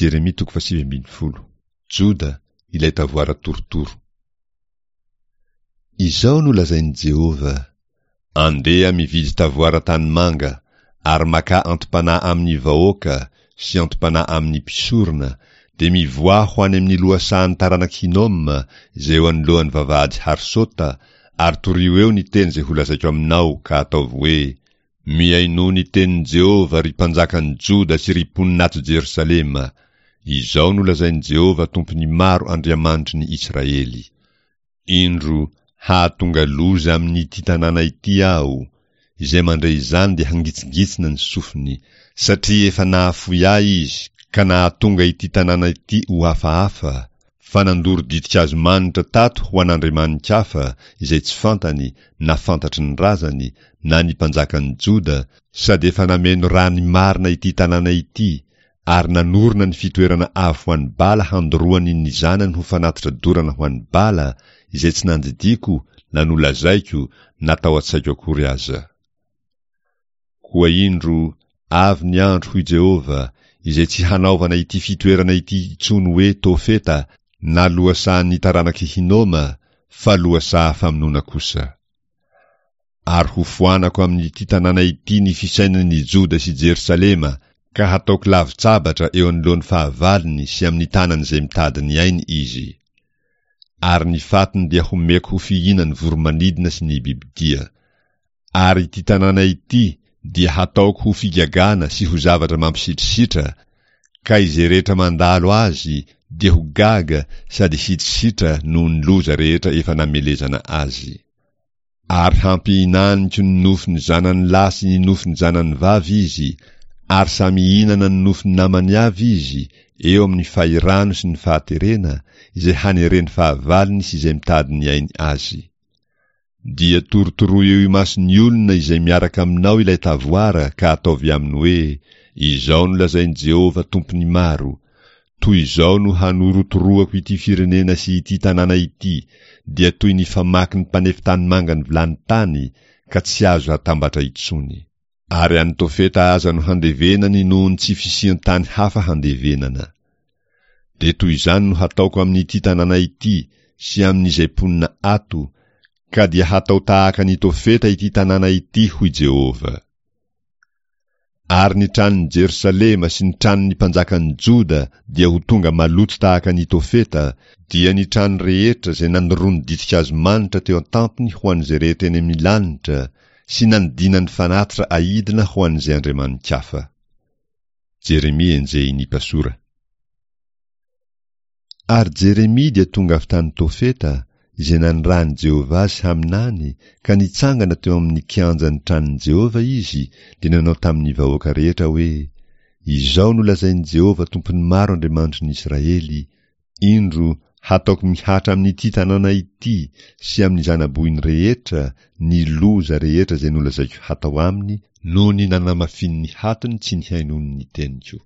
Jeremia toko fahasivy ambinifolo. Joda, ilay tavoara torotoro. Izao no lazain'i Jehovah, Andeha mividy tavoara tanimanga, ary makà anti-panahy amin'ny vahoaka sy anti-panahy amin'ny mpisorona, dia mivoaha ho any amin'ny lohasahan'ny taranak'i Hinoma, izay eo anoloan'ny vavahady Harsota, ary torio eo ny teny izay holazaiko aminao, ka ataovy hoe, Mihainoa ny tenin'i Jehovah, ry mpanjakan'i Joda sy ry mponina ato Jerosalema, Izao no lazain'i Jehovah Tompon'ny maro Andriamanitry ny Israely, Indro, hahatonga loza amin'ity tanàna ity Aho, izay mandre izany dia hangitsingitsina ny sofiny, satria efa nahafoy Ahy izy ka nahatonga ity tanàna ity ho hafahafa, fa nandoro ditin-kazo manitra tato ho an'andriamani-kafa izay tsy fantany na fantatry ny razany na ny mpanjakan'i Joda, sady efa nameno rà ny marina ity tanàna ity, ary nanorina ny fitoerana avo ho an'i Bala handoroany ny zanany ho fanatitra dorana ho an'i Bala, izay tsy nandidiako na nolazaiko na tao an-tsaiko akory aza. Koa indro, avy ny andro, hoy Jehovah, izay tsy hanaovana ity fitoerana ity intsony hoe Tofeta na lohasahan'ny taranak'i Hinoma, fa lohasaha famonoana kosa. Ary hofoanako amin'ity tanàna ity ny fisainan'i Joda sy Jerosalema, ka hataoko lavon-tsabatra eo anoloan'ny fahavalony sy amin'ny tanan'izay mitady ny ainy izy. Ary ny fatiny dia homeko ho fihinan'ny voro-manidina sy ny bibidia. Ary ity tanàna ity dia hataoko ho figagana sy ho zavatra mampisitrisitra, ka izay rehetra mandalo azy dia ho gaga sady hisitrisitra noho ny loza rehetra efa namelezana azy. Ary hampihinaniko ny nofon'ny zanany lahy sy ny nofon'ny zanany vavy izy, ary samy hihinana ny nofon'ny namany avy izy, eo amin'ny fahirano sy ny fahaterena, izay haneren'ny fahavalony sy izay mitady ny ainy azy. Dia torotoroy eo imason'ny olona izay miaraka aminao ilay tavoara ka ataovy aminy hoe, 'Izao no lazain'i Jehovah Tompon'ny maro, Toy izao no hanorotoroako ity firenena sy ity tanàna ity, dia toy ny famaky ny mpanefy tanimanga ny vilany tany, ka tsy azo hatambatra intsony. Ary any Tofeta aza no handevenany noho ny tsy fisian-tany hafa handevenana. Dia toy izany no hataoko amin'ity tanàna ity sy amin'izay mponina ato, ka dia hatao tahaka an'i Tofeta ity tanàna ity, hoy Jehovah. Ary ny tranon'i Jerosalema sy ny tranon'ny mpanjakan'i Joda dia ho tonga maloto tahaka an'i Tofeta, dia ny trano rehetra izay nandoroany ditin-kazo manitra teo an-tampony ho an'izay rehetra eny amin'ny lanitra, sy nanidinany fanatitra aidina ho an'izay andriamani-kafa. Jeremia enjehin'i Pasora. Ary Jeremia dia tonga avy tany Tofeta, izay nanirahan'i Jehovah azy haminany, ka nitsangana teo amin'ny kianjan'ny tranon'i Jehovah izy, dia nanao tamin'ny vahoaka rehetra hoe, Izao no lazain'i Jehovah Tompon'ny maro Andriamanitry ny Israely, Indro, hataoko mihatra amin'ity tanàna ity sy amin'ny zana-bohiny rehetra ny loza rehetra izay nolazaiko hatao aminy noho ny nanamafian'ny hatony tsy nihainoany ny teniko.